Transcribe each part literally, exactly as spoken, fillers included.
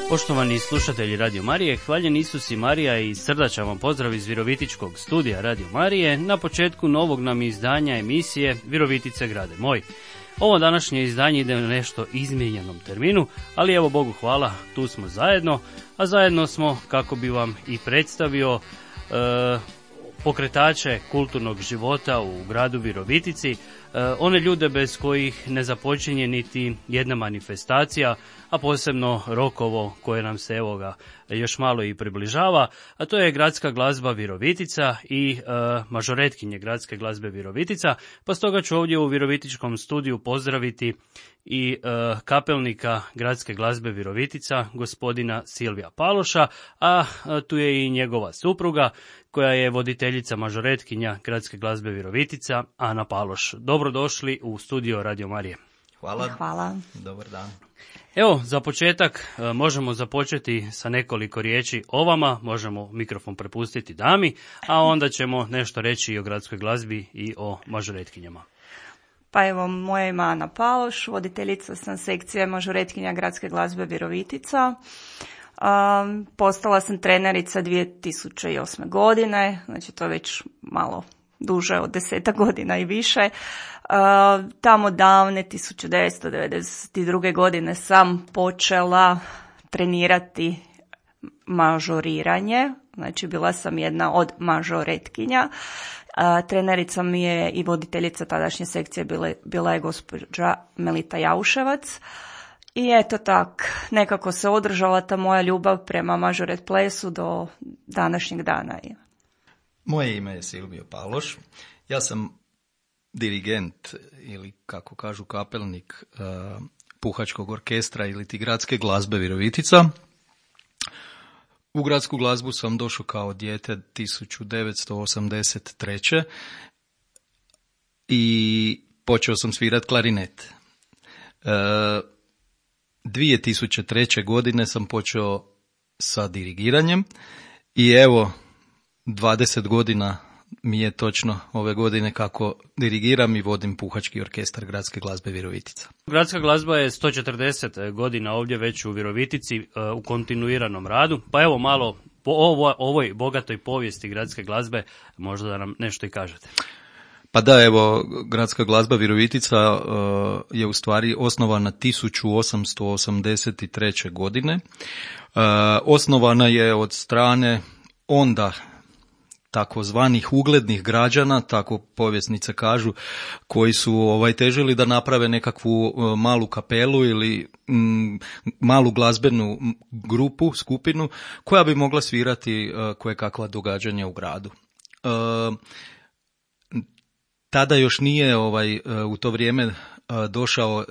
Poštovani slušatelji Radio Marije, hvaljen Isus i Marija i srdačan vam pozdrav iz Virovitičkog studija Radio Marije na početku novog nam izdanja emisije Virovitice grade moj. Ovo današnje izdanje ide u nešto izmijenjenom terminu, ali evo Bogu hvala, tu smo zajedno, a zajedno smo kako bi vam i predstavio e, pokretače kulturnog života u gradu Virovitici, e, one ljude bez kojih ne započinje niti jedna manifestacija, a posebno rokovo koje nam se evo ga još malo i približava, a to je Gradska glazba Virovitica i e, mažoretkinje Gradske glazbe Virovitica, pa stoga ću ovdje u Virovitičkom studiju pozdraviti i e, kapelnika Gradske glazbe Virovitica, gospodina Silvija Paloša, a e, tu je i njegova supruga, koja je voditeljica mažoretkinja Gradske glazbe Virovitica, Ana Paloš. Dobrodošli u studio Radio Marije. Hvala. Hvala. Dobar dan. Evo, za početak e, možemo započeti sa nekoliko riječi o vama, možemo mikrofon prepustiti dami, a onda ćemo nešto reći i o gradskoj glazbi i o mažoretkinjama. Pa evo, moje ime Ana Paloš, voditeljica sam sekcije mažoretkinja Gradske glazbe Virovitica. Um, postala sam trenerica dvije tisuće osme. godine, znači to je već malo duže od desetak godina i više. Uh, tamo davne tisuće devetsto devedeset druge. godine sam počela trenirati mažoriranje, znači bila sam jedna od mažoretkinja. Uh, trenerica mi je i voditeljica tadašnje sekcije bila, bila je gospođa Melita Jauševac. I eto tak, nekako se održala ta moja ljubav prema mažoret plesu do današnjeg dana. Moje ime je Silvio Paloš. Ja sam dirigent ili kako kažu kapelnik uh, puhačkog orkestra ili ti Gradske glazbe Virovitica. U gradsku glazbu sam došao kao dijete tisuću devetsto osamdeset treće. i počeo sam svirati klarinet. Uh, dvije tisuće treće. godine sam počeo sa dirigiranjem i evo dvadeset godina mi je točno ove godine kako dirigiram i vodim puhački orkestar Gradske glazbe Virovitica. Gradska glazba je sto četrdeset godina ovdje već u Virovitici u kontinuiranom radu, pa evo malo po ovo, ovoj bogatoj povijesti gradske glazbe možda da nam nešto i kažete. Pa da, evo, Gradska glazba Virovitica uh, je u stvari osnovana tisuću osamsto osamdeset treće. godine. Uh, osnovana je od strane onda takozvanih uglednih građana, tako povjesnice kažu, koji su ovaj težili da naprave nekakvu uh, malu kapelu ili mm, malu glazbenu grupu, skupinu, koja bi mogla svirati uh, koje kakva događanja u gradu. Uh, Tada još nije ovaj u to vrijeme došao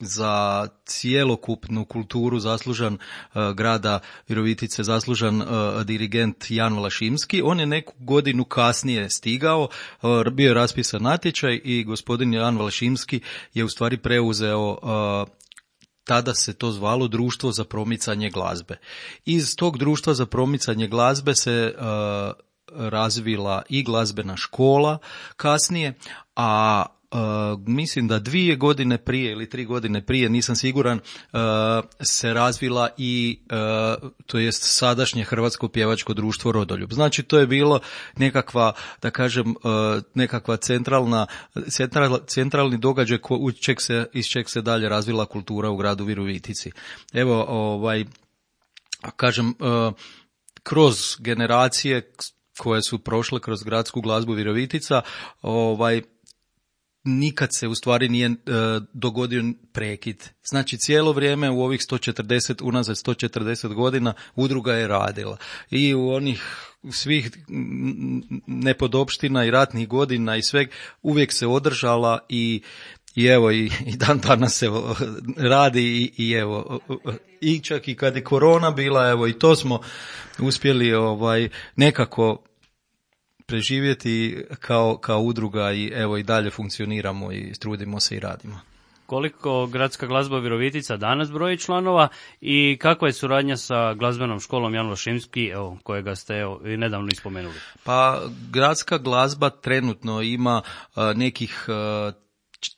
za cjelokupnu kulturu zaslužan grada Virovitice, zaslužan dirigent Jan Vlašimski. On je neku godinu kasnije stigao, bio je raspisan natječaj i gospodin Jan Vlašimski je u stvari preuzeo, tada se to zvalo Društvo za promicanje glazbe. Iz tog Društva za promicanje glazbe se razvila i glazbena škola kasnije, a uh, mislim da dvije godine prije ili tri godine prije, nisam siguran, uh, se razvila i uh, to jest sadašnje Hrvatsko pjevačko društvo Rodoljub. Znači to je bilo nekakva, da kažem, uh, nekakva centralna, central, centralni događaj ko, u čeg se, iz čeg se dalje razvila kultura u gradu Virovitici. Evo, ovaj, kažem, uh, kroz generacije koje su prošle kroz Gradsku glazbu Virovitica, ovaj, nikad se u stvari nije e, dogodio prekid. Znači cijelo vrijeme u ovih sto četrdeset, unazad sto četrdeset godina udruga je radila. I u onih svih nepodopština i ratnih godina i sveg uvijek se održala i I evo, i, i dan danas se radi i, i evo, i čak i kad je korona bila, evo, i to smo uspjeli ovaj nekako preživjeti kao, kao udruga i evo i dalje funkcioniramo i trudimo se i radimo. Koliko Gradska glazba Virovitica danas broji članova i kakva je suradnja sa glazbenom školom Jan Vlašimski, evo, kojega ste evo, i nedavno ispomenuli? Pa Gradska glazba trenutno ima uh, nekih uh,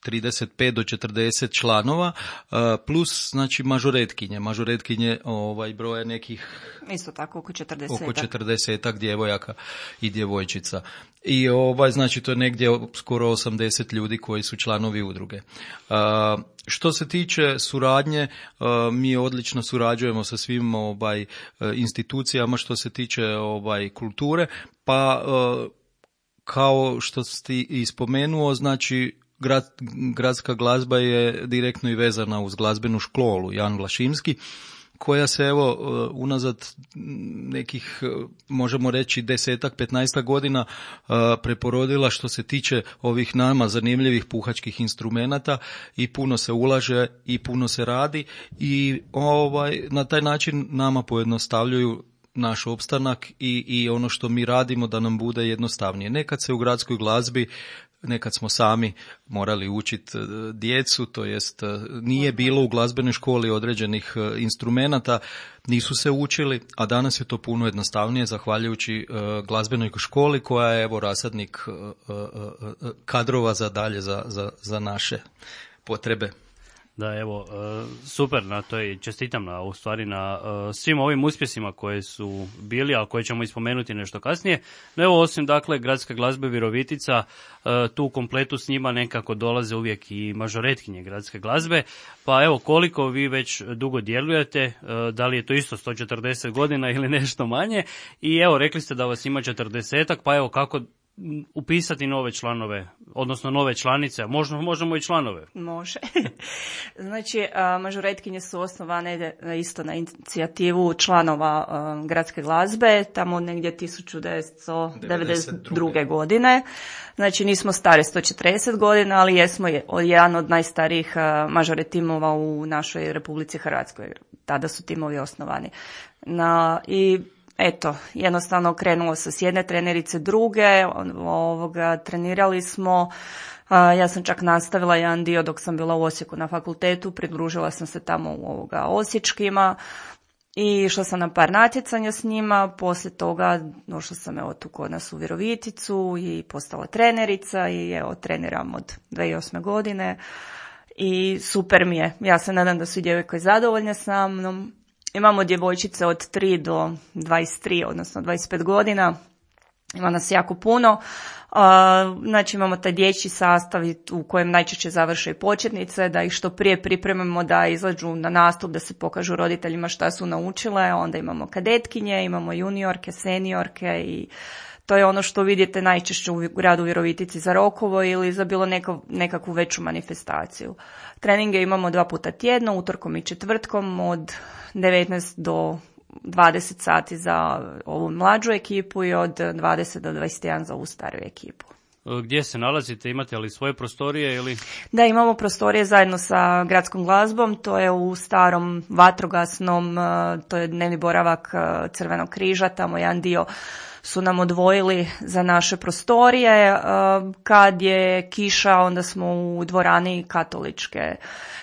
trideset pet do četrdeset članova, plus znači mažoretkinje. Mažoretkinje ovaj, broje nekih isto tako oko četrdesetak. Oko četrdesetak djevojaka i djevojčica. I ovaj, znači to je negdje skoro osamdeset ljudi koji su članovi udruge. Uh, što se tiče suradnje, uh, mi odlično surađujemo sa svim ovaj, institucijama što se tiče ovaj, kulture, pa uh, kao što ste i spomenuo, znači Grad, gradska glazba je direktno i vezana uz glazbenu školu Jan Vlašimski, koja se evo unazad nekih, možemo reći, desetak, petnaestak godina preporodila što se tiče ovih nama zanimljivih puhačkih instrumenata i puno se ulaže i puno se radi i ovaj, na taj način nama pojednostavljuju naš opstanak i, i ono što mi radimo da nam bude jednostavnije. Nekad se u gradskoj glazbi Nekad smo sami morali učiti djecu, to jest nije bilo u glazbenoj školi određenih instrumenata, nisu se učili, a danas je to puno jednostavnije zahvaljujući glazbenoj školi koja je evo rasadnik kadrova za dalje za, za, za naše potrebe. Da, evo, super na to i čestitam na, u stvari na svim ovim uspjesima koje su bili, a koje ćemo ispomenuti nešto kasnije. No evo, osim dakle Gradske glazbe Virovitica, tu u kompletu s njima nekako dolaze uvijek i mažoretkinje Gradske glazbe, pa evo koliko vi već dugo djelujete, da li je to isto sto četrdeset godina ili nešto manje, i evo rekli ste da vas ima četrdesetak, pa evo kako upisati nove članove, odnosno nove članice, možemo, možemo i članove. Može. Znači, mažoretkinje su osnovane isto na inicijativu članova Gradske glazbe, tamo negdje tisuću devetsto devedeset druge godine. Znači, nismo stari sto četrdeset godina, ali jesmo jedan od najstarijih mažore timova u našoj Republici Hrvatskoj. Tada su timovi osnovani. Na, i Eto, jednostavno krenulo se s jedne trenerice druge, ovoga, trenirali smo, ja sam čak nastavila jedan dio dok sam bila u Osijeku na fakultetu, pridružila sam se tamo u ovoga osječkima i išla sam na par natjecanja s njima, poslije toga došla sam evo tu kod nas u Viroviticu i postala trenerica i evo treniram od dvije tisuće osme godine i super mi je, ja se nadam da su i djevojke zadovoljne sa mnom. Imamo djevojčice od tri do dvadeset tri, odnosno dvadeset pet godina. Ima nas jako puno. Znači imamo taj dječji sastav u kojem najčešće završe i početnice, da ih što prije pripremimo da izađu na nastup, da se pokažu roditeljima šta su naučile. Onda imamo kadetkinje, imamo juniorke, seniorke i to je ono što vidite najčešće u gradu Virovitici za Rokovo ili za bilo neko, nekakvu veću manifestaciju. Treninge imamo dva puta tjedno, utorkom i četvrtkom od devetnaest do dvadeset sati za ovu mlađu ekipu i od dvadeset do dvadeset jedan za ovu stariju ekipu. Gdje se nalazite? Imate li svoje prostorije ili? Da, imamo prostorije zajedno sa Gradskom glazbom, to je u starom vatrogasnom, to je dnevni boravak Crvenog križa, tamo jedan dio su nam odvojili za naše prostorije. Kad je kiša, onda smo u dvorani katoličke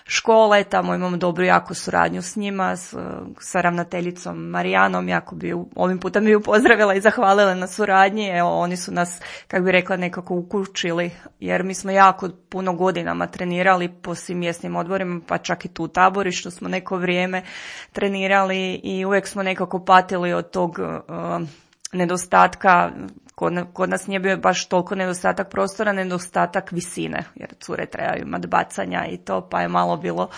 škole, tamo imamo dobru jako suradnju s njima, s, sa ravnateljicom Marijanom, jako bi ovim putem bi ju pozdravila i zahvalila na suradnji. Evo, oni su nas, kako bi rekla, nekako ukućili, jer mi smo jako puno godinama trenirali po svim mjesnim odborima, pa čak i tu u Taborištu smo neko vrijeme trenirali i uvijek smo nekako patili od tog uh, nedostatka. Kod, kod nas nije bio baš toliko nedostatak prostora, nedostatak visine, jer cure trebaju imati bacanja i to, pa je malo bilo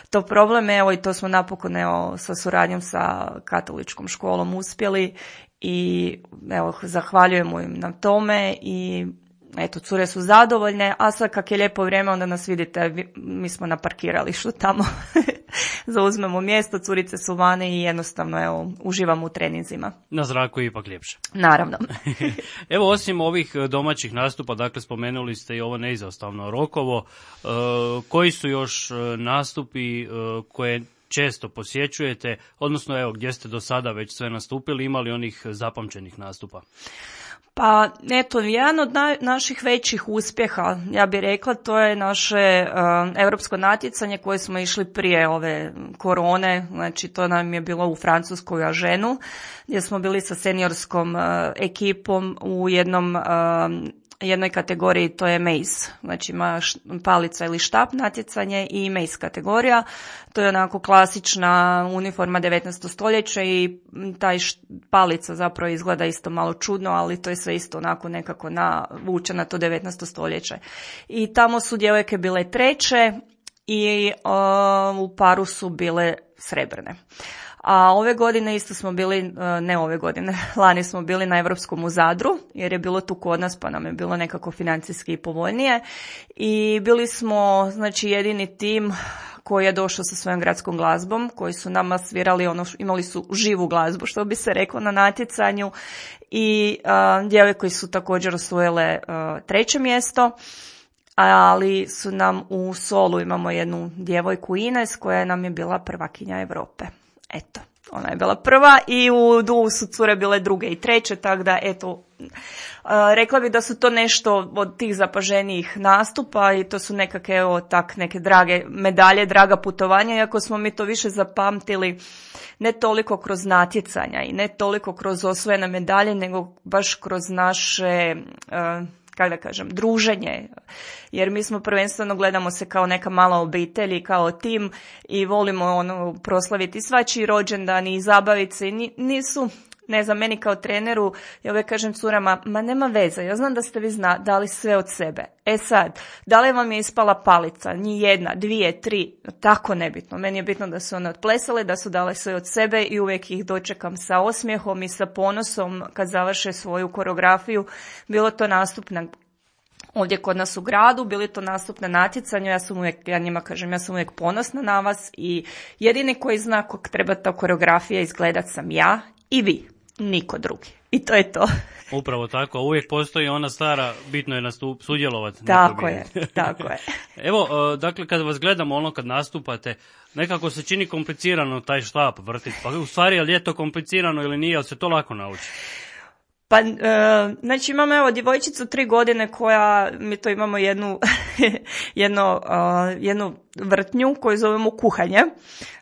to problem. Evo i to smo napokon evo, sa suradnjom sa katoličkom školom uspjeli i evo zahvaljujemo im na tome i eto, cure su zadovoljne, a sad kak je lijepo vrijeme, onda nas vidite, mi smo na parkiralištu tamo, zauzmemo mjesto, curice su vane i jednostavno evo, uživamo u treninzima. Na zraku je ipak ljepše. Naravno. Evo, osim ovih domaćih nastupa, dakle spomenuli ste i ovo neizostavno Rokovo, e, koji su još nastupi e, koje često posjećujete, odnosno evo gdje ste do sada već sve nastupili, imali onih zapamćenih nastupa? Pa eto, jedan od na, naših većih uspjeha, ja bih rekla, to je naše uh, europsko natjecanje koje smo išli prije ove korone, znači to nam je bilo u Francuskoj Aženu, gdje smo bili sa seniorskom uh, ekipom u jednom uh, jednoj kategoriji, to je mace, znači ima palica ili štap natjecanje i mace kategorija. To je onako klasična uniforma devetnaestog stoljeća i taj palica zapravo izgleda isto malo čudno, ali to je sve isto onako nekako navuče na to devetnaesto stoljeće. I tamo su djevojke bile treće i uh, u paru su bile srebrne. A ove godine isto smo bili, ne ove godine, lani smo bili na Europskom u Zadru, jer je bilo tu kod nas pa nam je bilo nekako financijski povoljnije. I bili smo, znači, jedini tim koji je došao sa svojom gradskom glazbom, koji su nama svirali, ono, imali su živu glazbu, što bi se reklo, na natjecanju. I uh, djevojke su također osvojile uh, treće mjesto. Ali su nam u solu, imamo jednu djevojku Ines koja nam je bila prvakinja Europe. Eto, ona je bila prva i u duhu su cure bile druge i treće, tako da eto, rekla bih da su to nešto od tih zapaženijih nastupa i to su nekakve, evo, tak, neke drage medalje, draga putovanja, iako smo mi to više zapamtili ne toliko kroz natjecanja i ne toliko kroz osvojene medalje, nego baš kroz naše, kako da kažem, druženje, jer mi smo prvenstveno gledamo se kao neka mala obitelj i kao tim i volimo ono proslaviti svačiji rođendan i zabaviti se i nisu, ne znam, meni kao treneru, ja uvijek kažem curama, ma nema veze, ja znam da ste vi zna, dali sve od sebe. E sad, da li vam je ispala palica, ni jedna, dvije, tri, tako nebitno. Meni je bitno da su one otplesale, da su dale sve od sebe i uvijek ih dočekam sa osmijehom i sa ponosom kad završe svoju koreografiju. Bilo to nastup na ovdje kod nas u gradu, bili to nastup na natjecanju, ja sam uvijek, ja njima kažem, ja sam uvijek ponosna na vas i jedini koji zna kako treba ta koreografija izgledat sam ja i vi, niko drugi. I to je to. Upravo tako, a uvijek postoji ona stara, bitno je nastup, sudjelovati. Tako je, tako je. Evo, dakle, kad vas gledamo, ono kad nastupate, nekako se čini komplicirano taj štap vrtiti, pa u stvari je li je to komplicirano ili nije, ali se to lako nauči? Pa, e, znači imamo evo djevojčicu tri godine koja, mi to imamo jednu, jedno, uh, jednu vrtnju koju zovemo kuhanje,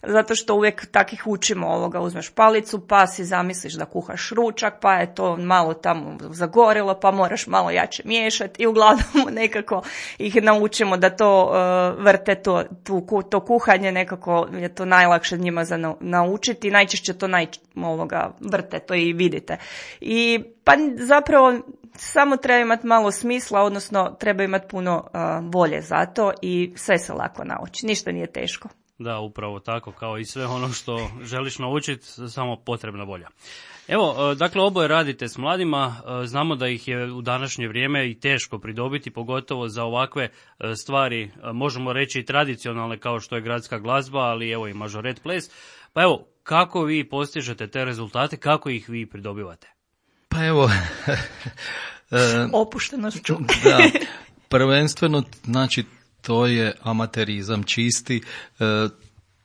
zato što uvijek takih učimo ovoga, uzmeš palicu pa si zamisliš da kuhaš ručak, pa je to malo tamo zagorilo, pa moraš malo jače miješati i uglavnom nekako ih naučimo da to uh, vrte, to, tu, to kuhanje, nekako je to najlakše njima za naučiti, najčešće to naj, ovoga, vrte, to i vidite. I pa zapravo samo treba imati malo smisla, odnosno treba imati puno uh, volje za to i sve se lako nauči, ništa nije teško. Da, upravo tako, kao i sve ono što želiš naučiti, samo potrebna volja. Evo, dakle, oboje radite s mladima, znamo da ih je u današnje vrijeme i teško pridobiti, pogotovo za ovakve stvari, možemo reći i tradicionalne kao što je gradska glazba, ali evo i mažoret ples. Pa evo, kako vi postižete te rezultate, kako ih vi pridobivate? Pa evo... Opuštenošću. Da, prvenstveno, znači, to je amaterizam čisti,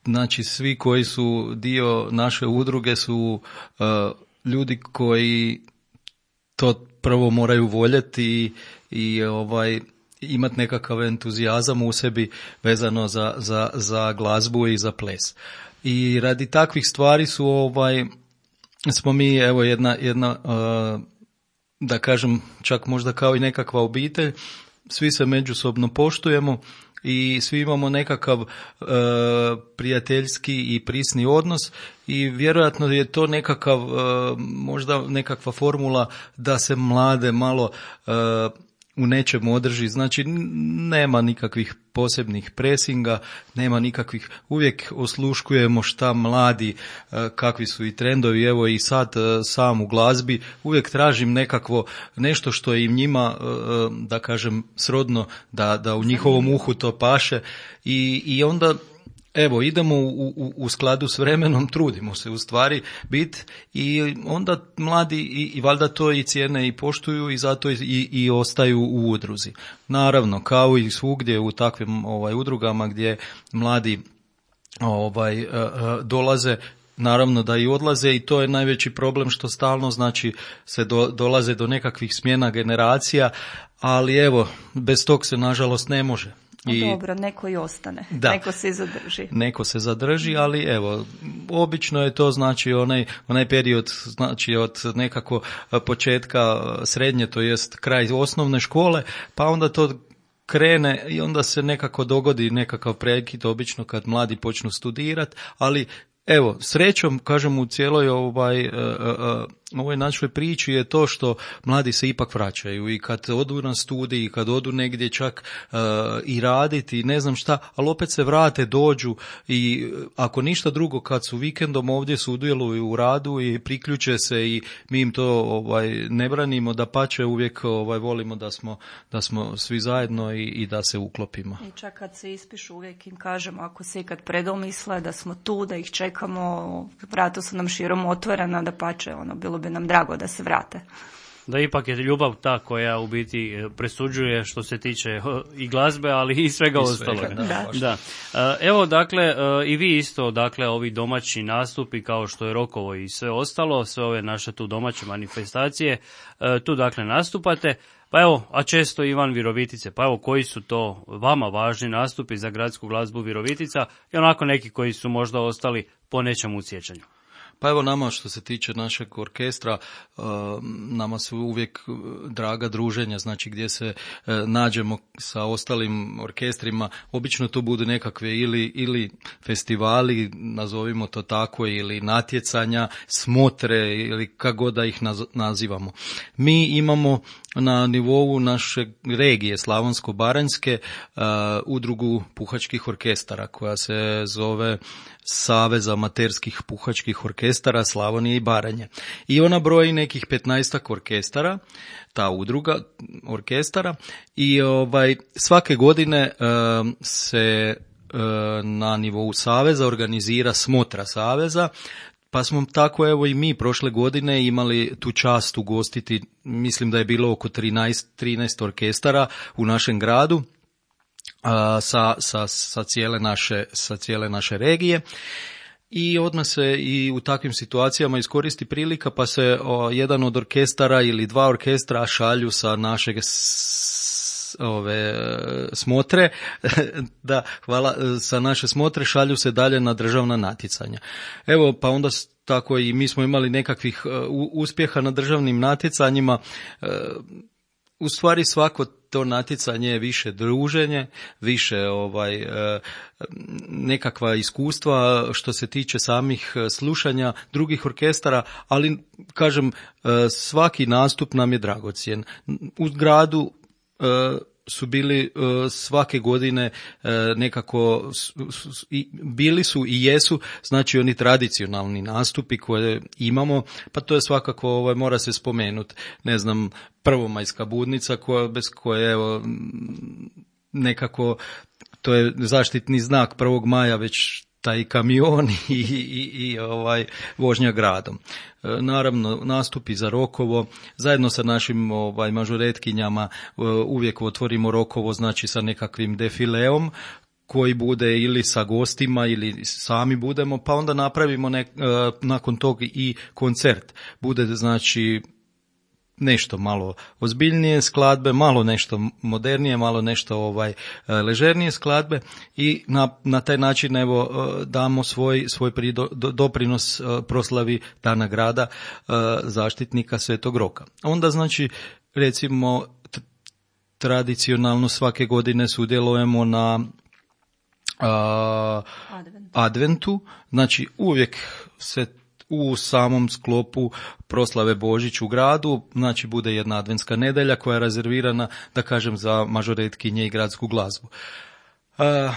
znači svi koji su dio naše udruge su ljudi koji to prvo moraju voljeti i, i ovaj, imati nekakav entuzijazam u sebi vezano za, za, za glazbu i za ples. I radi takvih stvari su ovaj, smo mi evo jedna, jedna da kažem čak možda kao i nekakva obitelj, svi se međusobno poštujemo i svi imamo nekakav e, prijateljski i prisni odnos i vjerojatno je to nekakav, e, možda nekakva formula da se mlade malo e, u nečemu održi. Znači nema nikakvih posebnih presinga, nema nikakvih, uvijek osluškujemo šta mladi, kakvi su i trendovi, evo i sad sam u glazbi, uvijek tražim nekakvo nešto što je im njima, da kažem, srodno, da, da u njihovom uhu to paše i, i onda evo, idemo u, u, u skladu s vremenom, trudimo se u stvari biti i onda mladi i, i valjda to i cijene i poštuju i zato i, i ostaju u udruzi. Naravno, kao i svugdje u takvim ovaj, udrugama gdje mladi ovaj, dolaze, naravno da i odlaze i to je najveći problem što stalno znači se do, dolaze do nekakvih smjena generacija, ali evo, bez tog se nažalost ne može. I, dobro, neko i ostane, da, neko se zadrži. Neko se zadrži, ali evo, obično je to znači onaj, onaj period, znači od nekako početka srednje, to jest kraj osnovne škole, pa onda to krene i onda se nekako dogodi nekakav prekid, obično kad mladi počnu studirati, ali evo, srećom, kažem, u cijeloj ovaj, uh, uh, ovoj našoj priči je to što mladi se ipak vraćaju i kad odu na studij i kad odu negdje čak uh, i raditi, ne znam šta, ali opet se vrate, dođu i ako ništa drugo, kad su vikendom ovdje sudjeluju u radu i priključe se i mi im to ovaj, ne branimo, da pače uvijek ovaj, volimo da smo, da smo svi zajedno i, i da se uklopimo. I čak kad se ispišu uvijek im kažemo, ako se ikad predomisle da smo tu, da ih čekamo, vrata su nam širom otvorena, da pače, ono, bilo bi nam drago da se vrate. Da ipak je ljubav ta koja u biti presuđuje što se tiče i glazbe, ali i svega ostaloga. Da. Da. Evo, dakle, i vi isto, dakle, ovi domaći nastupi kao što je Rokovo i sve ostalo, sve ove naše tu domaće manifestacije, tu dakle nastupate. Pa evo, a često i van Virovitice, pa evo koji su to vama važni nastupi za gradsku glazbu Virovitica i onako neki koji su možda ostali po nečemu u sjećanju? Pa evo nama što se tiče našeg orkestra, nama su uvijek draga druženja, znači gdje se nađemo sa ostalim orkestrima, obično to budu nekakve ili, ili festivali, nazovimo to tako, ili natjecanja, smotre ili kako god da ih nazivamo. Mi imamo na nivou naše regije Slavonsko-baranjske uh, udrugu puhačkih orkestara koja se zove Savez amaterskih puhačkih orkestara Slavonije i Baranje. I ona broji nekih petnaestak orkestara, ta udruga orkestara, i ovaj svake godine uh, se uh, na nivou saveza organizira smotra saveza. Pa smo tako evo i mi prošle godine imali tu čast ugostiti, mislim da je bilo oko trinaest, trinaest orkestara u našem gradu a, sa, sa, sa, cijele naše, sa cijele naše regije. I odmah se i u takvim situacijama iskoristi prilika pa se o, jedan od orkestara ili dva orkestra šalju sa našeg ove smotre, da, hvala, sa naše smotre šalju se dalje na državna natjecanja. Evo, pa onda tako i mi smo imali nekakvih uh, uspjeha na državnim natjecanjima. Uh, u stvari svako to natjecanje je više druženje, više ovaj uh, nekakva iskustva što se tiče samih slušanja drugih orkestara, ali kažem uh, svaki nastup nam je dragocjen. U gradu uh, su bili uh, svake godine uh, nekako su, su, i, bili su i jesu znači oni tradicionalni nastupi koje imamo, pa to je svakako ovaj, mora se spomenuti, ne znam, prvomajska budnica koja, bez koje evo nekako to je zaštitni znak prvog maja već taj kamion i, i, i ovaj vožnja gradom. E, naravno, nastupi za Rokovo, zajedno sa našim ovaj mažoretkinjama e, uvijek otvorimo Rokovo, znači sa nekakvim defileom koji bude ili sa gostima ili sami budemo, pa onda napravimo nek, e, nakon tog i koncert. Bude znači nešto malo ozbiljnije skladbe, malo nešto modernije, malo nešto ovaj ležernije skladbe i na, na taj način evo damo svoj, svoj prido, doprinos proslavi Dana grada zaštitnika Svetog Roka. Onda znači recimo tradicionalno svake godine sudjelujemo na a, Adventu. adventu, znači uvijek se u samom sklopu proslave Božić u gradu, znači bude jedna adventska nedelja koja je rezervirana, da kažem, za mažoretkinje i gradsku glazbu. E,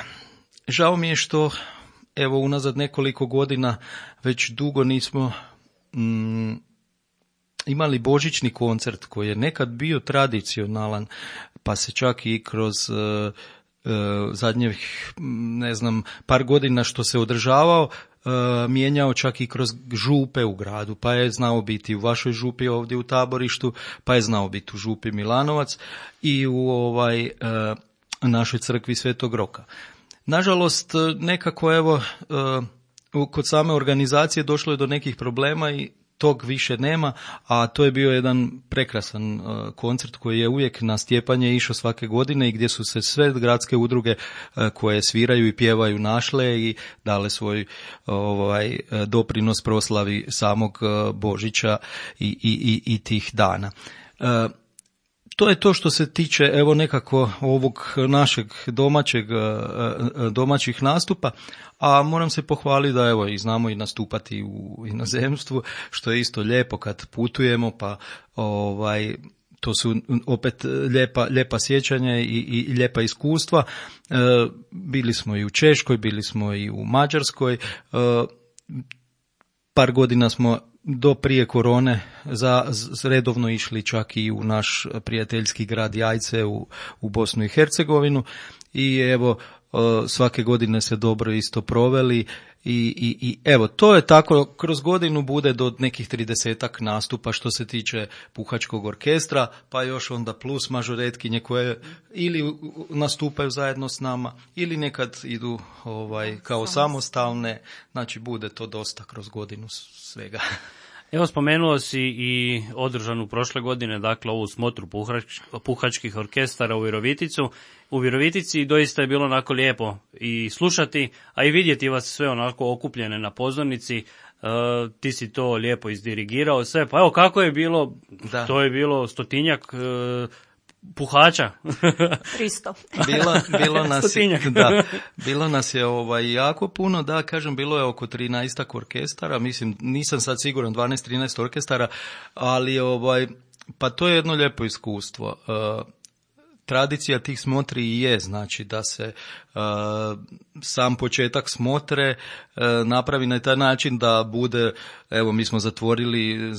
žao mi je što, evo, unazad nekoliko godina već dugo nismo mm, imali božićni koncert koji je nekad bio tradicionalan, pa se čak i kroz e, e, zadnjih, ne znam, par godina što se održavao, mijenjao čak i kroz župe u gradu, pa je znao biti u vašoj župi ovdje u Taborištu, pa je znao biti u župi Milanovac i u ovaj našoj crkvi Svetog Roka. Nažalost, nekako evo kod same organizacije došlo je do nekih problema i tog više nema, a to je bio jedan prekrasan uh, koncert koji je uvijek na Stjepanje išao svake godine i gdje su se sve gradske udruge uh, koje sviraju i pjevaju našle i dale svoj ovaj doprinos proslavi samog uh, Božića i, i, i, i tih dana. Uh, To je to što se tiče evo nekako ovog našeg domaćeg, domaćih nastupa, a moram se pohvaliti da evo i znamo i nastupati u inozemstvu, što je isto lijepo kad putujemo, pa ovaj to su opet lijepa, lijepa sjećanja i, i lijepa iskustva. E, bili smo i u Češkoj, bili smo i u Mađarskoj, e, par godina smo do prije korone za, za redovno išli čak i u naš prijateljski grad Jajce u, u Bosnu i Hercegovinu i evo svake godine se dobro isto proveli i, i, i evo to je tako, kroz godinu bude do nekih tridesetak nastupa što se tiče puhačkog orkestra, pa još onda plus mažoretkinje koje ili nastupaju zajedno s nama ili nekad idu ovaj kao samostalne, znači bude to dosta kroz godinu svega. Evo, spomenuo si i održanu prošle godine, dakle, ovu smotru puhač, puhačkih orkestara u Viroviticu. U Virovitici doista je bilo onako lijepo i slušati, a i vidjeti vas sve onako okupljene na pozornici. E, ti si to lijepo izdirigirao sve. Pa evo, kako je bilo, da. To je bilo stotinjak e, puhača. tristo. Bilo, bilo nas je, da, bilo nas je ovaj jako puno, da kažem, bilo je oko trinaestak orkestara, mislim, nisam sad siguran, dvanaest trinaest orkestara, ali ovaj, pa to je jedno lijepo iskustvo. Uh, Tradicija tih smotri je, znači da se uh, sam početak smotre uh, napravi na taj način da bude, evo mi smo zatvorili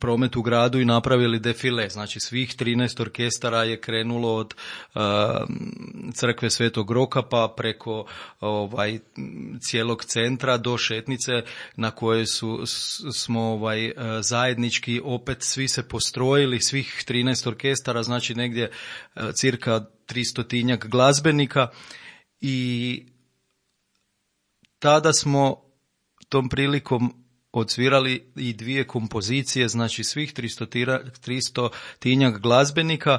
promet u gradu i napravili defile, znači svih trinaest orkestara je krenulo od uh, crkve Svetog Roka pa preko ovaj cijelog centra do šetnice na kojoj su smo ovaj uh, zajednički opet svi se postrojili, svih trinaest orkestara, znači negdje uh, cirka tristotinjak glazbenika i tada smo tom prilikom odsvirali i dvije kompozicije, znači svih tristotinjak glazbenika,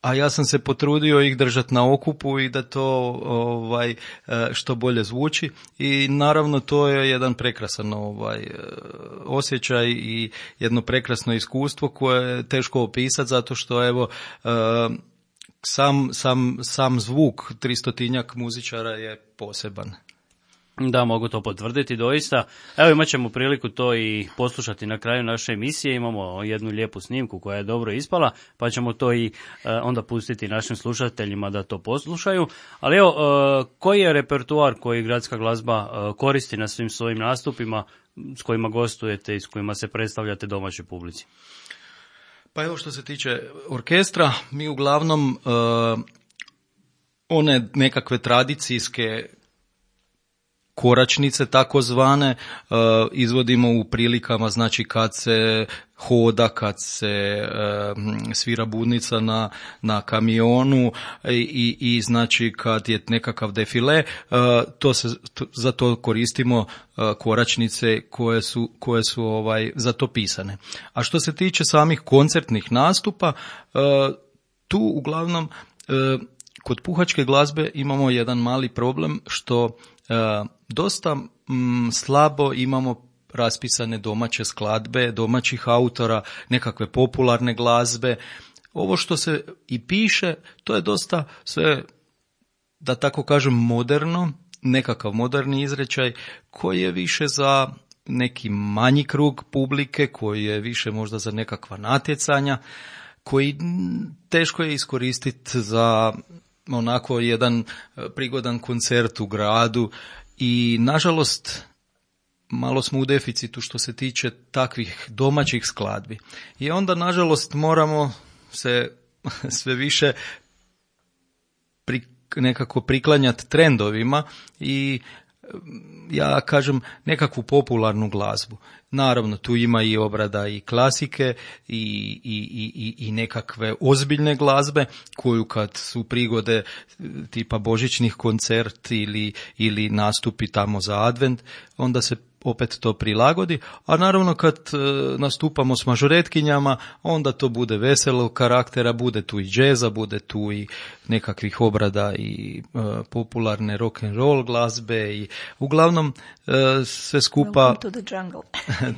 a ja sam se potrudio ih držati na okupu i da to ovaj što bolje zvuči i naravno to je jedan prekrasan ovaj osjećaj i jedno prekrasno iskustvo koje je teško opisati zato što evo sam sam sam zvuk tristotinjak muzičara je poseban. Da, mogu to potvrditi doista. Evo imat ćemo priliku to i poslušati na kraju naše emisije. Imamo jednu lijepu snimku koja je dobro ispala, pa ćemo to i e, onda pustiti našim slušateljima da to poslušaju. Ali evo, e, koji je repertoar koji gradska glazba e, koristi na svim svojim nastupima s kojima gostujete i s kojima se predstavljate domaćoj publici? Pa evo što se tiče orkestra, mi uglavnom e, one nekakve tradicijske koračnice takozvane uh, izvodimo u prilikama, znači kad se hoda, kad se uh, svira budnica na, na kamionu i, i znači kad je nekakav defile, uh, to se, to, za to koristimo uh, koračnice koje su, koje su ovaj, za to pisane. A što se tiče samih koncertnih nastupa, uh, tu uglavnom uh, kod puhačke glazbe imamo jedan mali problem što uh, dosta mm, slabo imamo raspisane domaće skladbe, domaćih autora, nekakve popularne glazbe. Ovo što se i piše, to je dosta sve, da tako kažem, moderno, nekakav moderni izrečaj koji je više za neki manji krug publike, koji je više možda za nekakva natjecanja, koji teško je iskoristiti za onako jedan prigodan koncert u gradu. I nažalost malo smo u deficitu što se tiče takvih domaćih skladbi. I onda nažalost moramo se sve više pri, nekako priklanjati trendovima i ja kažem, nekakvu popularnu glazbu. Naravno, tu ima i obrada i klasike i, i, i, i nekakve ozbiljne glazbe koju kad su prigode tipa božićnih koncert ili, ili nastupi tamo za advent, onda se opet to prilagodi, a naravno kad e, nastupamo s mažoretkinjama, onda to bude veselog karaktera, bude tu i džeza, bude tu i nekakvih obrada i e, popularne rock and roll glazbe i uglavnom e, sve skupa Welcome to the jungle.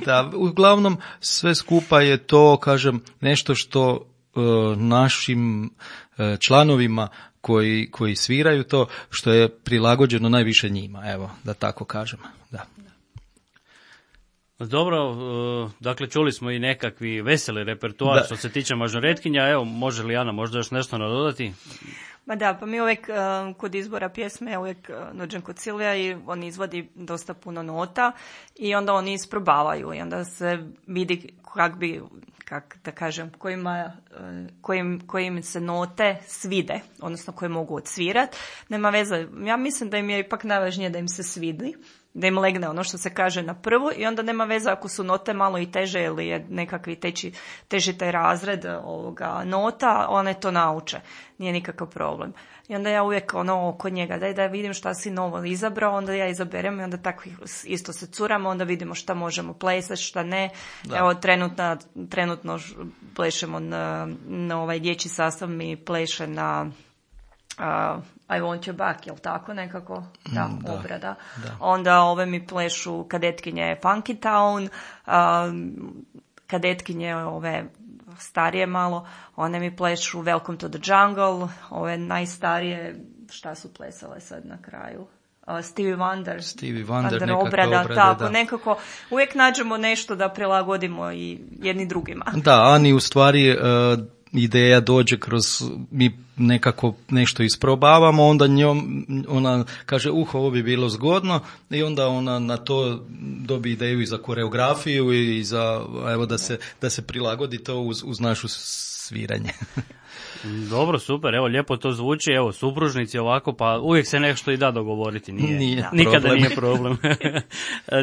da, uglavnom sve skupa je to, kažem, nešto što e, našim e, članovima koji, koji sviraju to, što je prilagođeno najviše njima, evo, da tako kažem, da. Dobro, dakle čuli smo i nekakvi veseli repertoar da. Što se tiče mažoretkinja, evo može li Ana možda još nešto nadodati? Ma da, pa mi uvijek uh, kod izbora pjesme ja uvijek uh, dođem kod Silvija i on izvodi dosta puno nota i onda oni isprobavaju i onda se vidi kak bi, kak da kažem, kojima, uh, kojim, kojim se note svide, odnosno koje mogu odsvirat. Nema veze, ja mislim da im je ipak najvažnije da im se svidi, da im legne ono što se kaže na prvu i onda nema veze ako su note malo i teže ili je nekakvi teči, teži taj razred ovoga nota, one to nauče. Nije nikakav problem. I onda ja uvijek ono oko njega, daj da vidim šta si novo izabrao, onda ja izaberem i onda tako isto se curamo, onda vidimo šta možemo plesati, šta ne. Da. Evo trenutno, trenutno plešemo na, na ovaj dječji sastav, mi pleše na uh, I want you back, jel tako nekako? Da, mm, da obrada. Da. Onda ove mi plešu kadetkinje Funky Town, um, kadetkinje ove starije malo, one mi plešu Welcome to the Jungle, ove najstarije, šta su plesale sad na kraju? Uh, Stevie Wonder, Stevie Wonder Wonder obrada, obrada, tako, da. Nekako uvijek nađemo nešto da prilagodimo i jedni drugima. Da, Ani u stvari uh, ideja dođe kroz, mi nekako nešto isprobavamo, onda njom, ona kaže, uh, ovo bi bilo zgodno i onda ona na to dobi ideju i za koreografiju i za, evo, da se, da se prilagodi to uz, uz našu sviranje. Dobro, super, evo lijepo to zvuči, evo supružnici ovako, pa uvijek se nešto i da dogovoriti, nije, nije nikada problem. Nije problem.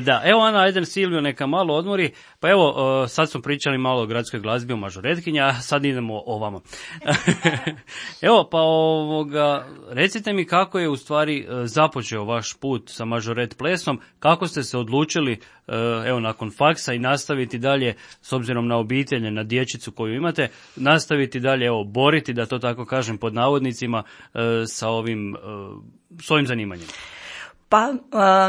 Da, evo Ana, ajde Silvio neka malo odmori, pa evo sad smo pričali malo o gradskoj glazbi, o mažoretkinja, a sad idemo o vama. Evo, pa ovoga, recite mi kako je u stvari započeo vaš put sa mažoret plesom, kako ste se odlučili, evo nakon faksa i nastaviti dalje, s obzirom na obitelje, na dječicu koju imate, nastaviti dalje, evo, boriti, da to tako kažem pod navodnicima, sa ovim, s ovim zanimanjem? Pa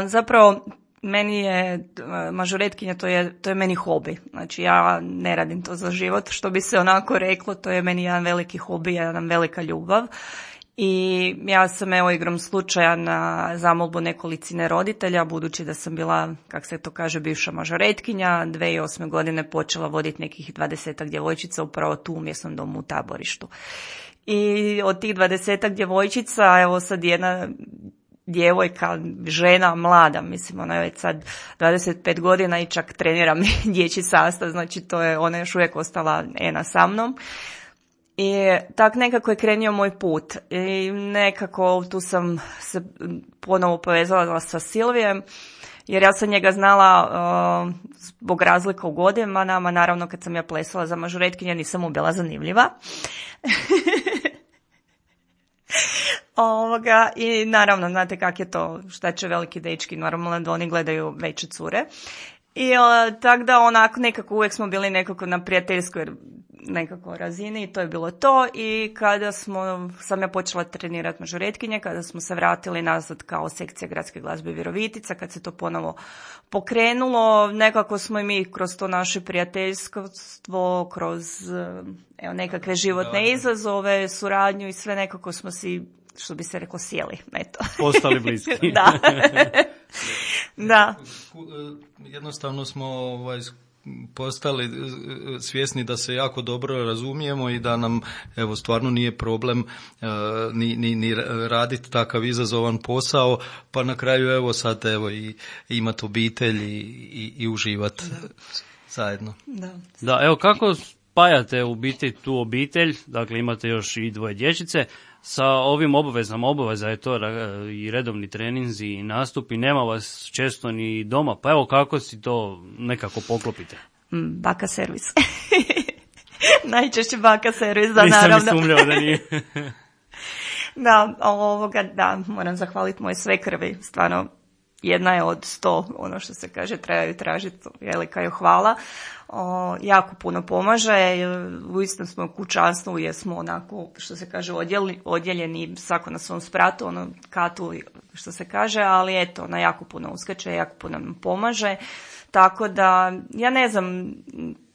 zapravo meni je mažoretkinja, to je, to je meni hobi. Znači ja ne radim to za život, što bi se onako reklo, to je meni jedan veliki hobi, jedan velika ljubav. I ja sam evo igrom slučaja na zamolbu nekolicine roditelja, budući da sam bila, kak se to kaže, bivša mažoretkinja, dvije tisuće osme godine počela voditi nekih dvadesetak djevojčica upravo tu u mjesnom domu u Taborištu. I od tih dvadesetak djevojčica, evo sad jedna djevojka, žena, mlada, mislim ona je već sad dvadeset pet godina i čak trenira mi dječji sastav, znači to je, ona još uvijek ostala ena sa mnom. I tak nekako je krenio moj put i nekako tu sam se ponovo povezala sa Silvijem, jer ja sam njega znala uh, zbog razlika u godinama, naravno kad sam ja plesala za mažoretkinje nisam mu bila zanimljiva. Ovoga, i naravno, znate kak je to, šta će veliki dečki, normalno da oni gledaju veće cure. I uh, tako da onako nekako uvijek smo bili nekako na prijateljskoj nekako razini i to je bilo to. I kada smo, sam ja počela trenirati mažoretkinje, kada smo se vratili nazad kao sekcija gradske glazbe Virovitica, kad se to ponovo pokrenulo, nekako smo i mi kroz to naše prijateljstvo, kroz evo, nekakve životne izazove, suradnju i sve nekako smo si, što bi se reklo, sjeli. Eto. Postali bliski. Da. Da. Jednostavno smo ovaj, postali svjesni da se jako dobro razumijemo i da nam evo stvarno nije problem uh, ni, ni, ni raditi takav izazovan posao, pa na kraju evo sad evo i imati obitelj i, i, i uživati zajedno. Da. Da, evo kako spajate u biti tu obitelj, dakle imate još i dvoje dječice, sa ovim obavezama, obaveza je to i redovni treninzi i nastupi, nema vas često ni doma, pa evo kako si to nekako poklopite? Baka servis. Najčešće baka servis, da, Nisam naravno. Nisam sumnjao da nije. Da, ovoga, da, moram zahvaliti moje svekrvi, stvarno jedna je od sto, ono što se kaže, trebaju tražiti, velika joj hvala. O, jako puno pomaže, u istom smo kućanstvu jer smo onako, što se kaže, odjeli, odjeljeni svako na svom spratu, ono katu, što se kaže, ali eto, ona jako puno uskače, jako puno nam pomaže, tako da, ja ne znam,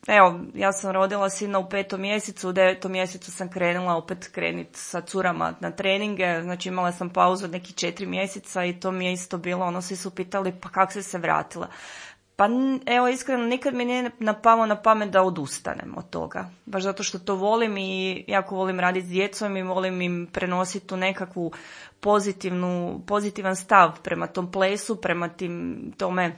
evo, ja sam rodila sina u petom mjesecu, u devetom mjesecu sam krenula opet krenit sa curama na treninge, znači imala sam pauzu od nekih četiri mjeseca i to mi je isto bilo, ono, svi su pitali pa kako si se vratila. Pa evo, iskreno, nikad mi nije napalo na pamet da odustanem od toga. Baš zato što to volim i jako volim raditi s djecom i volim im prenositi tu nekakvu pozitivnu, pozitivan stav prema tom plesu, prema tim tome.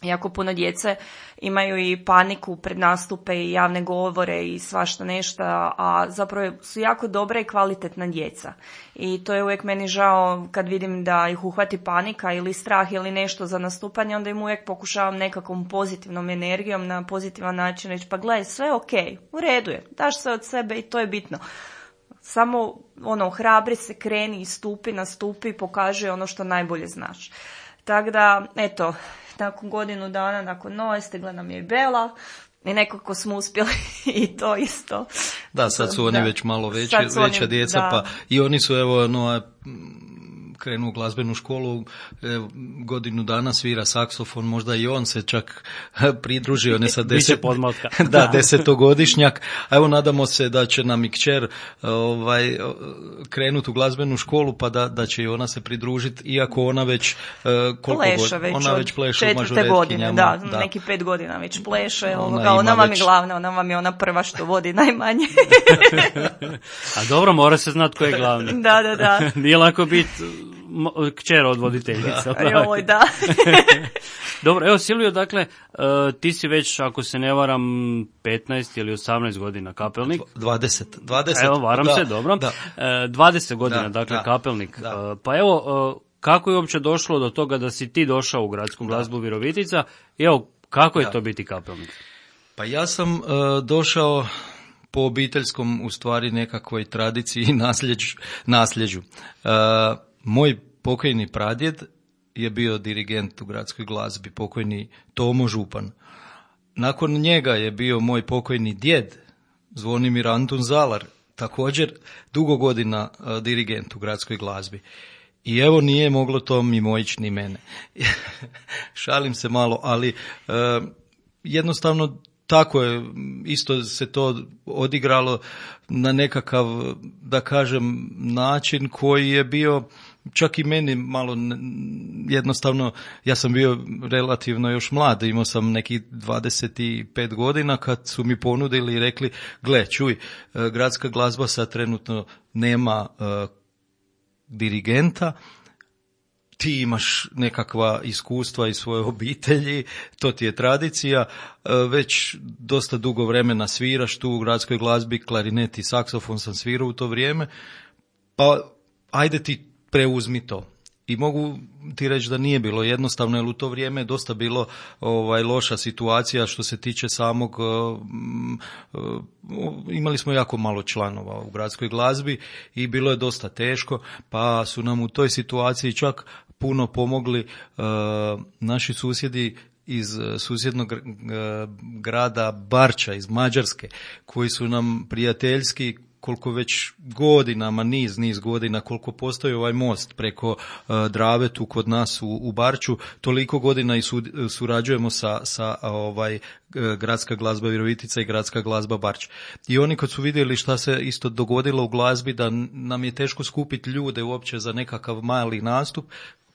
Jako puno djece imaju i paniku pred nastupe i javne govore i svašta nešto, a zapravo su jako dobra i kvalitetna djeca. I to je uvijek meni žao kad vidim da ih uhvati panika ili strah ili nešto za nastupanje, onda im uvijek pokušavam nekakvom pozitivnom energijom na pozitivan način reći pa gledaj, sve je okej, u redu je, daš sve od sebe i to je bitno. Samo ono, hrabri se, kreni i stupi, nastupi, pokaži ono što najbolje znaš. Tako da, eto, nakon godinu dana, nakon nove, stigla nam je i Bela i nekako smo uspjeli i to isto. Da, sad su oni da. već malo veći, veća oni, djeca, da. Pa i oni su, evo, no, krenu u glazbenu školu, evo, godinu dana svira saksofon, možda i on se čak pridružio, ne sa deset, da, desetogodišnjak, a evo nadamo se da će nam i kćer ovaj, krenuti u glazbenu školu, pa da, da će i ona se pridružiti, iako ona već koliko pleše već, ona već pleše u četvrte godine, da, da, neki pet godina već pleše, ona, ona, ona vam već... je glavna, ona vam je ona prva što vodi najmanje. A dobro, mora se znati ko je glavni. Da, da, da. Nije lako biti kćer od voditeljica. Da. Joj, da. Dobro, evo Silvio, dakle, uh, ti si već, ako se ne varam, petnaest ili osamnaest godina kapelnik. dvadeset. dvadeset. Evo, varam da, se, dobro. Da. Uh, dvadeset godina, da, dakle, da, kapelnik. Da. Uh, pa evo, uh, kako je uopće došlo do toga da si ti došao u gradsku glazbu Virovitica? I evo, kako je da. to biti kapelnik? Pa ja sam uh, došao po obiteljskom, u stvari, nekakvoj tradiciji i nasljeđu. nasljeđu. Uh, moj pokojni pradjed je bio dirigent u gradskoj glazbi, pokojni Tomo Župan. Nakon njega je bio moj pokojni djed, Zvonimir Antun Zalar, također dugo godina uh, dirigent u gradskoj glazbi. I evo, nije moglo to mimo ići ni mene. Šalim se malo, ali uh, jednostavno tako je, isto se to odigralo na nekakav, da kažem, način koji je bio čak i meni malo jednostavno, ja sam bio relativno još mlad, imao sam nekih dvadeset pet godina kad su mi ponudili i rekli, gle, čuj, gradska glazba sad trenutno nema uh, dirigenta, ti imaš nekakva iskustva iz svoje obitelji, to ti je tradicija, već dosta dugo vremena sviraš tu u gradskoj glazbi, klarinet i saksofon sam svirao u to vrijeme, pa ajde ti preuzmi to. I mogu ti reći da nije bilo jednostavno, jer u to vrijeme je dosta bilo ovaj, loša situacija što se tiče samog, uh, uh, imali smo jako malo članova u gradskoj glazbi i bilo je dosta teško, pa su nam u toj situaciji čak puno pomogli uh, naši susjedi iz susjednog uh, grada Barča, iz Mađarske, koji su nam prijateljski, koliko već godinama, niz, niz godina, koliko postoji ovaj most preko uh, Drave tu kod nas u, u Barču, toliko godina i su, surađujemo sa, sa ovaj, gradska glazba Virovitica i gradska glazba Barč. I oni kad su vidjeli šta se isto dogodilo u glazbi, da nam je teško skupiti ljude uopće za nekakav mali nastup,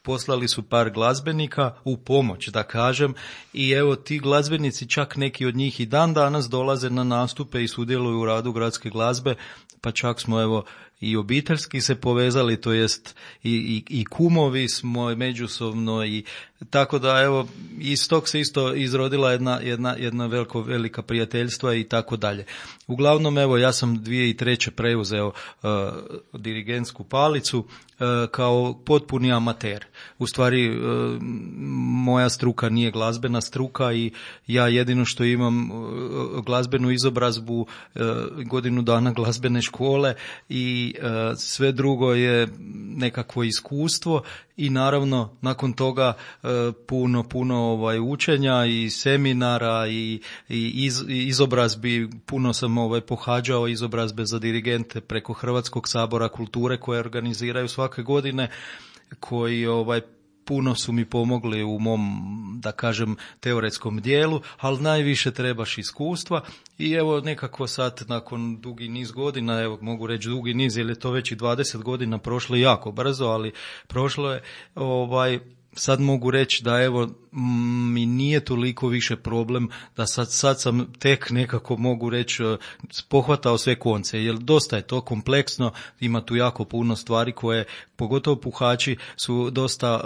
poslali su par glazbenika u pomoć, da kažem, i evo ti glazbenici, čak neki od njih i dan danas dolaze na nastupe i sudjeluju u radu gradske glazbe, pa čak smo evo i obiteljski se povezali, to jest i, i, i kumovi smo međusobno, i tako da evo iz tog se isto izrodila jedna, jedna, jedna veliko, velika prijateljstva i tako dalje. Uglavnom evo ja sam dvije tisuće treće preuzeo uh, dirigentsku palicu uh, kao potpuni amater. U stvari uh, moja struka nije glazbena struka i ja jedino što imam uh, glazbenu izobrazbu, uh, godinu dana glazbene škole i uh, sve drugo je nekakvo iskustvo i naravno nakon toga uh, puno, puno ovaj, učenja i seminara i, i iz, izobrazbi, puno sam ovaj, pohađao izobrazbe za dirigente preko Hrvatskog sabora kulture koje organiziraju svake godine, koji ovaj puno su mi pomogli u mom, da kažem, teoretskom dijelu, ali najviše trebaš iskustva i evo nekako sad nakon dugi niz godina, evo mogu reći dugi niz jer je to već i dvadeset godina prošlo jako brzo, ali prošlo je, ovaj, sad mogu reći da evo mi nije toliko više problem, da sad, sad sam tek nekako mogu reći pohvatao sve konce, jer dosta je to kompleksno, ima tu jako puno stvari koje, pogotovo puhači, su dosta,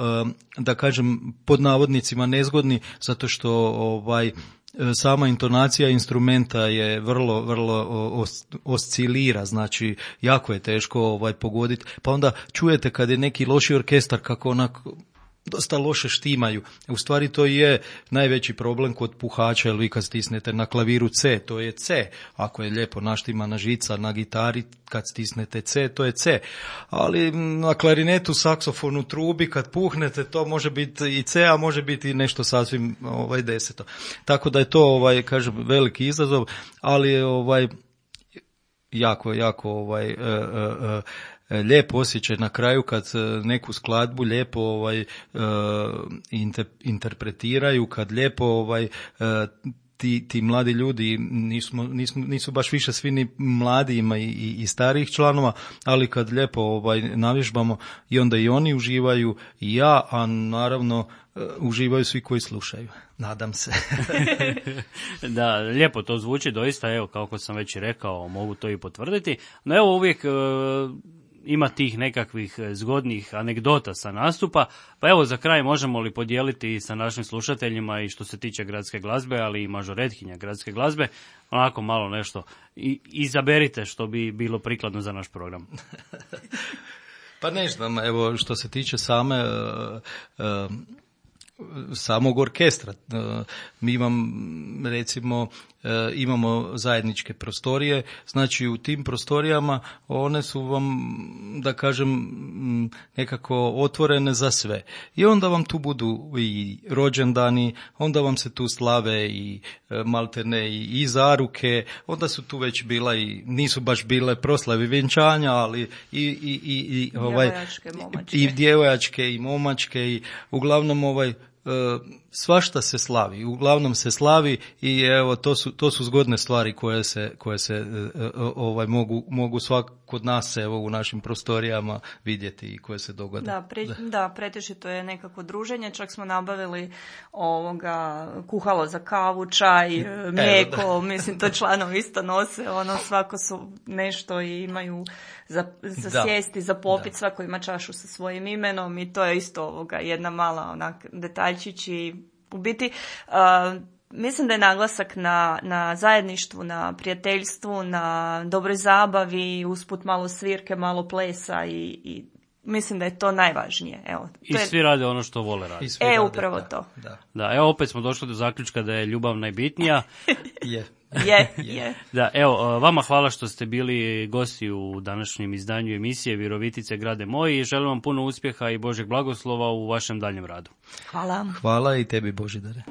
da kažem, pod navodnicima nezgodni, zato što ovaj sama intonacija instrumenta je vrlo, vrlo os, oscilira, znači jako je teško ovaj pogoditi, pa onda čujete kad je neki loši orkestar kako onako dosta loše štimaju. U stvari to je najveći problem kod puhača, jer vi kad stisnete na klaviru C, to je C. Ako je lijepo naštimana žica na gitari, kad stisnete C, to je C. Ali na klarinetu, saksofonu, trubi, kad puhnete, to može biti i C, a može biti i nešto sasvim ovaj, deseto. Tako da je to, ovaj, kažem, veliki izazov, ali je ovaj, jako, jako ovaj, e, e, e, lijep osjećaj na kraju kad neku skladbu lijepo ovaj inter, interpretiraju, kad lijepo ovaj ti, ti mladi ljudi, nisu, nisu, nisu baš više svi ni mladi, ima i, i, i starijih članova, ali kad lijepo ovaj navježbamo i onda i oni uživaju i ja, a naravno uživaju svi koji slušaju. Nadam se. Da, lijepo to zvuči doista, evo kako sam već i rekao, mogu to i potvrditi. No evo uvijek e, ima tih nekakvih zgodnih anegdota sa nastupa, pa evo za kraj možemo li podijeliti sa našim slušateljima i što se tiče gradske glazbe, ali i mažoretkinja gradske glazbe, onako malo nešto i izaberite što bi bilo prikladno za naš program. Pa ne znam, evo što se tiče same uh, uh, samog orkestra. Mi imam, recimo, imamo zajedničke prostorije, znači u tim prostorijama one su vam, da kažem, nekako otvorene za sve. I onda vam tu budu i rođendani, onda vam se tu slave i maltene i, i zaruke, onda su tu već bila i, nisu baš bile proslave vjenčanja, ali i, i, i, i ovaj, djevojačke, momačke. i djevojačke i momačke i uglavnom ovaj svašta se slavi, uglavnom se slavi i evo to su to su zgodne stvari koje se koje se ovaj mogu mogu svak kod nas evo u našim prostorijama vidjeti i koje se dogode. Da, pre, da, pretežito je nekako druženje, čak smo nabavili ovoga kuhalo za kavu, čaj, mlijeko, evo, mislim to članovi isto nose, ono svako su nešto i imaju za, za da. sjesti, za popit, da. Svako ima čašu sa svojim imenom i to je isto ovoga jedna mala onak detaljčić i u biti uh, mislim da je naglasak na, na zajedništvu, na prijateljstvu, na dobroj zabavi, usput malo svirke, malo plesa i, i mislim da je to najvažnije. Evo, to I je... svi rade ono što vole raditi. E, rade, upravo da, to. Da. Da, evo opet smo došli do zaključka da je ljubav najbitnija. Je. Je, je. Da, evo, vama hvala što ste bili gosti u današnjem izdanju emisije Virovitice grade moj i želim vam puno uspjeha i Božeg blagoslova u vašem daljem radu. Hvala. Hvala i tebi, Božidare.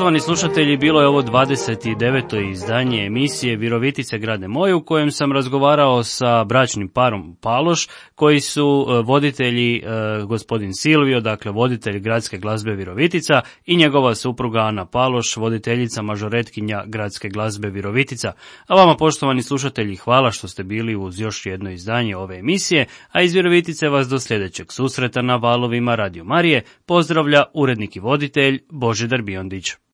Poštovani slušatelji, bilo je ovo dvadeset deveto izdanje emisije Virovitice grade moje, u kojem sam razgovarao sa bračnim parom Paloš, koji su voditelji gospodin Silvio, dakle voditelj gradske glazbe Virovitica, i njegova supruga Ana Paloš, voditeljica mažoretkinja gradske glazbe Virovitica. A vama, poštovani slušatelji, hvala što ste bili uz još jedno izdanje ove emisije, a iz Virovitice vas do sljedećeg susreta na valovima Radio Marije pozdravlja urednik i voditelj Božidar Biondić.